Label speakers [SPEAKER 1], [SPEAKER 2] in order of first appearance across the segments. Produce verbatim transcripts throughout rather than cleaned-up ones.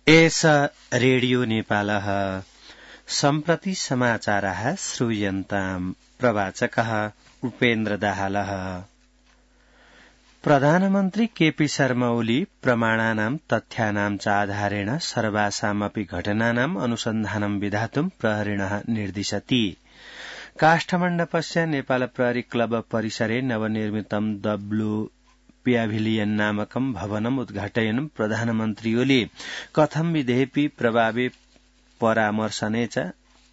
[SPEAKER 1] एष रेडियो नेपालः सम्प्रति समाचारः श्रूयन्ताम् प्रवाचकः उपेन्द्र दाहालः। प्रधानमन्त्री केपी शर्मा ओली प्रमाणानां तथ्यानां च आधारेण सर्वासामपि घटनानाम् अनुसन्धानं विधातुं प्रहरिणः निर्दिशति। काष्ठमण्डपस्य नेपाल प्रहरी क्लब परिसरे नवनिर्मितं द ब्लू प्याभिलियन नामकं भवनम् उद्घाटयन् प्रधानमन्त्री ओली कथं विधेऽपि प्रभावे परामर्शने च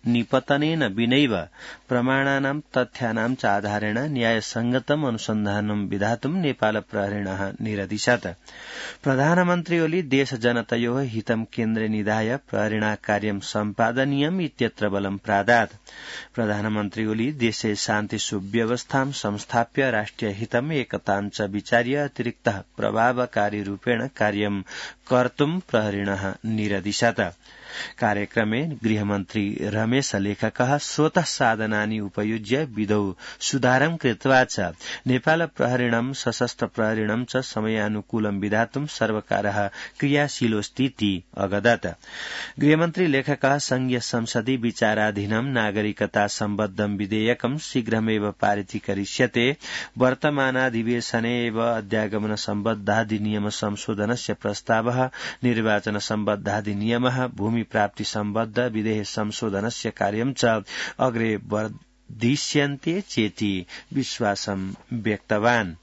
[SPEAKER 1] निपतनेन विनैव प्रमाणानां तथ्यानां च आधारेण न्यायसंगतम् अनुसन्धानं विधातुं नेपाल प्रहरिणः निरदिशत्। प्रधानमन्त्री ओली देश जनतयोः हितं केन्द्रे निधाय प्रहरिणा कार्यं सम्पादनीयम् इत्यत्र बलं प्रादात्। प्रधानमन्त्री ओली देशे शान्ति सुव्यवस्थां संस्थाप्य राष्ट्रिय हितम् एकतां च विचार्य अतिरिक्तः प्रभावकारी रूपेण कार्यं कर्तुं प्रहरिणः निरदिशत्। कार्यक्रमे गृहमन्त्री रमेश लेखकः स्वतः साधनानि उपयुज्य विधौ सुधारं कृत्वा च नेपाल प्रहरिणं सशस्त्र प्रहरिणं च समयानुकूलं विधातुं सर्वकारः क्रियाशीलोऽस्तीति अगदत्। गृहमन्त्री लेखकः संघीय संसदि विचाराधीनं नागरिकता सम्बद्धं विधेयकं शीघ्रमेव पारितीकरिष्यते। वर्तमानाधिवेशने एव अध्यागमन सम्बद्धाधिनियम संशोधनस्य प्रस्तावः, निर्वाचन सम्बद्धाधिनियमः, भूमि प्राप्ति सम्बद्ध विधेयक संशोधनस्य कार्यं च अग्रे वर्धिष्यन्ते चेति विश्वासं व्यक्तवान्।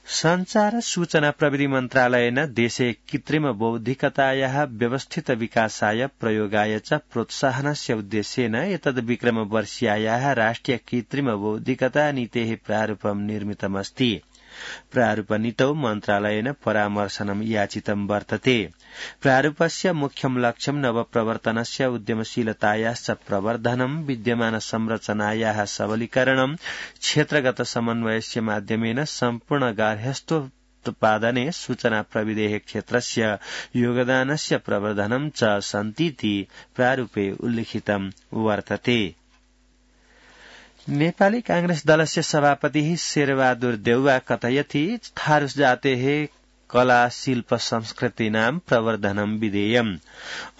[SPEAKER 1] संचार सूचना प्रविधि मन्त्रालयेन देशे कृत्रिम बौद्धिकतायाः व्यवस्थित विकासाय प्रयोगाय च प्रोत्साहनस्य उद्देश्येन एतद्विक्रमवर्षीयायाः राष्ट्रिय कृत्रिम बौद्धिकता नीतेः प्रारूपं निर्मितमस्ति। प्रारूपनीतौ मन्त्रालयेन परामर्शनं याचितं वर्तते। प्रारूपस्य मुख्यं लक्ष्यं नवप्रवर्तनस्य उद्यमशीलतायाश्च प्रवर्धनं, विद्यमान संरचनायाः सबलीकरणं, क्षेत्रगत समन्वयस्य माध्यमेन सम्पूर्ण गार्हस्थ्योत्पादने सूचना प्रविधेः क्षेत्रस्य योगदानस्य प्रवर्धनं च सन्तीति प्रारूपे उल्लिखितं वर्तते। नेपाली कांग्रेस दलस्य सभापतिः शेरबहादुर देउवा कथयति थारू जातेः कला शिल्प संस्कृतीनां प्रवर्धनं विधेयम्।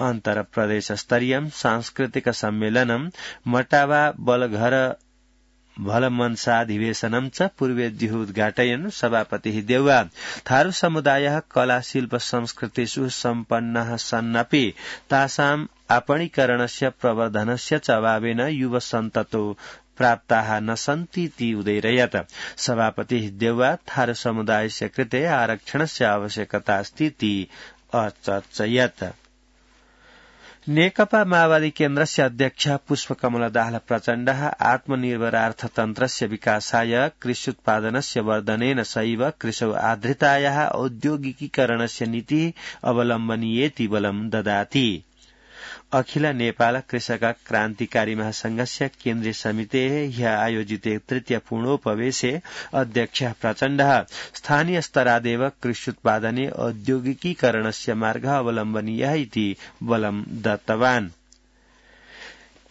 [SPEAKER 1] अन्तर प्रदेश स्तरीयं सांस्कृतिक सम्मेलनं मटावा बलघर भलमनसाधिवेशनं च पूर्वेद्युः उद्घाटयन् सभापतिः देउवा थारू समुदायः कला शिल्प संस्कृतिषु सम्पन्नः सन्नपि तासाम् आपणीकरणस्य प्रवर्धनस्य च अभावेन युवसन्ततो प्राप्ताः न सन्तीति उदयरयत्। सभापतिः देउवा थारू समुदायस्य कृते आरक्षणस्य आवश्यकता अस्तीति अचर्चयत्। नेकपा माओवादी केन्द्रस्य अध्यक्ष पुष्पकमल दाहाल प्रचण्डः आत्मनिर्भर अर्थतन्त्रस्य विकासाय कृष्युत्पादनस्य वर्धनेन सैव कृषौ आधृतायाः औद्योगिकीकरणस्य नीतिः अवलम्बनीयेति बलं ददाति। अखिल नेपाल कृषक क्रान्तिकारी महासंघस्य केन्द्रीय समितेः ह्यः आयोजिते तृतीय पूर्णोपवेशे अध्यक्ष प्रचण्डः स्थानीय स्तरादेव कृष्युत्पादने औद्योगिकीकरणस्य मार्गः अवलम्बनीयः इति बलं दत्तवान्।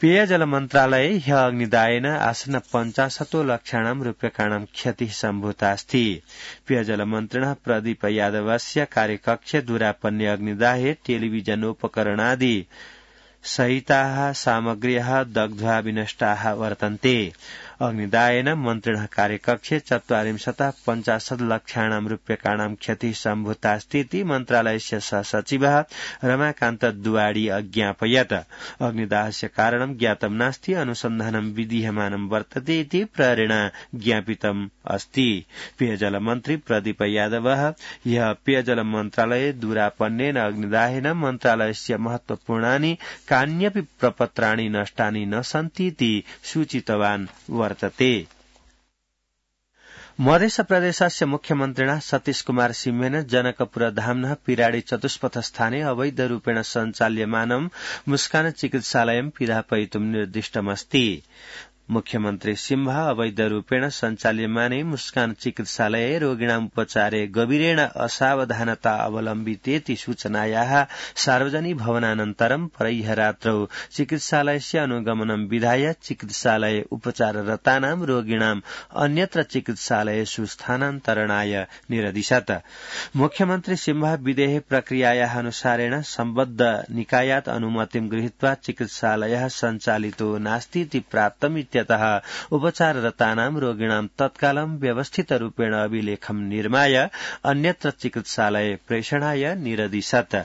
[SPEAKER 1] पेयजल मन्त्रालये ह्यः अग्निदायेन आसन्न पञ्चाशतो लक्षाणां रूप्यकाणां क्षतिः सम्भूतास्ति। पेयजल मन्त्रिणः प्रदीप यादवस्य कार्यकक्षे दुरापन्ने अग्निदाहे टेलिविजनोपकरणादि सहिताः सामग्र्यः दग्ध्वा विनष्टाः वर्तन्ते। अग्निदायेन मन्त्रिणः कार्यकक्षे चत्वारिंशतः पञ्चाशत् लक्षाणां रूप्यकाणां क्षतिः सम्भूतास्तीति मन्त्रालयस्य सहसचिवः रमाकान्त दुवाडी अज्ञापयत्। अग्निदाहस्य कारणं ज्ञातं नास्ति, अनुसन्धानं विधीयमानं वर्तते इति प्रहरिणा ज्ञापितम् अस्ति। पेयजल मन्त्री प्रदीप यादवः ह्यः पेयजल मन्त्रालये दुरापन्नेन अग्निदाहेन मन्त्रालयस्य महत्वपूर्णानि कान्यपि प्रपत्राणि नष्टानि न सन्तीति सूचितवान् वर्तते। मध्य प्रदेशस्य मुख्यमन्त्रिणा सतीश कुमार सिंहेन जनकपुर धाम्नः पिराडी चतुष्पथ स्थाने अवैध रूपेण सञ्चाल्यमानं मुस्कान चिकित्सालयं पिधापयितुं निर्दिष्टमस्ति। मुख्यमन्त्री सिंह अवैध रूपेण सञ्चाल्यमाने मुस्कान चिकित्सालये रोगिणाम् उपचारे गभीरेण असावधानता अवलम्बितेति सूचनायाः सार्वजनिक भवनानन्तरं परह्य रात्रौ चिकित्सालयस्य अनुगमनं विधाय चिकित्सालये उपचाररतानां रोगिणाम् अन्यत्र चिकित्सालयेषु स्थानान्तरणाय निरदिशत्। मुख्यमन्त्री सिंह विदेह प्रक्रियायाः अनुसारेण सम्बद्ध निकायात् अनुमतिं गृहीत्वा चिकित्सालयः सञ्चालितो नास्तीति प्राप्तम् इत्यतः उपचाररतानां रोगिणां तत्कालं व्यवस्थितरूपेण अभिलेखं निर्माय अन्यत्र चिकित्सालये प्रेषणाय निरदिशत्।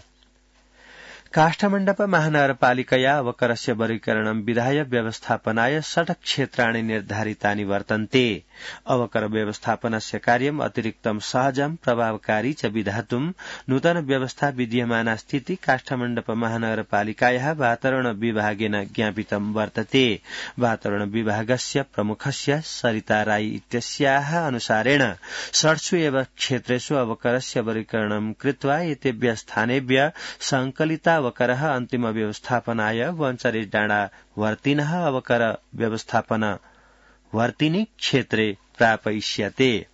[SPEAKER 1] काष्ठमण्डप महानगरपालिकया अवकरस्य वर्गीकरणं विधाय व्यवस्थापनाय षट् क्षेत्राणि निर्धारितानि वर्तन्ते। अवकर व्यवस्थापनस्य कार्यम् अतिरिक्तं सहजं प्रभावकारी च विधातुं नूतन व्यवस्था विद्यमाना स्थिति काष्ठमण्डप महानगरपालिकायाः वातावरण विभागेन ज्ञापितं वर्तते। वातावरण विभागस्य प्रमुखस्य सरिता राई इत्यस्याः अनुसारेण षट्सु एव क्षेत्रेषु अवकरस्य वर्गीकरणं कृत्वा एतेभ्य स्थानेभ्य संकलिता अवकरः अन्तिम व्यवस्थापनाय वञ्चरे डाँडा वर्तिनः अवकर व्यवस्थापन वर्तिनि क्षेत्रे प्रापयिष्यते।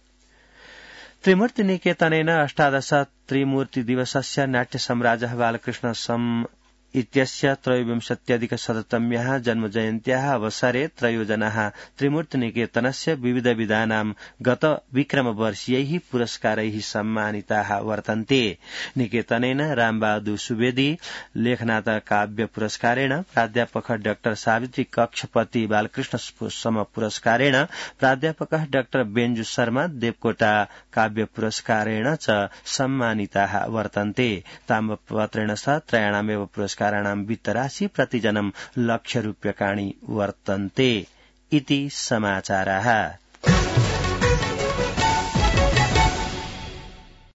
[SPEAKER 1] त्रिमूर्ति निकेतनेन अष्टादश त्रिमूर्ति दिवसस्य नाट्य सम्राजः बालकृष्ण सम इत्यस्य त्रयोविंशत्यधिक शततम्याः जन्मजयन्त्याः अवसरे त्रयोजनाः त्रिमूर्ति निकेतनस्य विविधविधानां गत विक्रमवर्षीयैः पुरस्कारैः सम्मानिताः वर्तन्ते। निकेतनेन रामबहादुर सुवेदी लेखनाथ काव्य पुरस्कारेण, प्राध्यापकः डाक्टर सावित्री कक्षपति बालकृष्ण सम पुरस्कारेण, प्राध्यापकः डाक्टर बेञ्जु शर्मा देवकोटा काव्य पुरस्कारेण च सम्मानिताः वर्तन्ते। ताम्रपत्रेण सह त्रयाणामेव पुरस्कार काराणां वित्तराशि प्रतिजनं लक्ष रूप्यकाणि वर्तन्ते इति समाचाराः।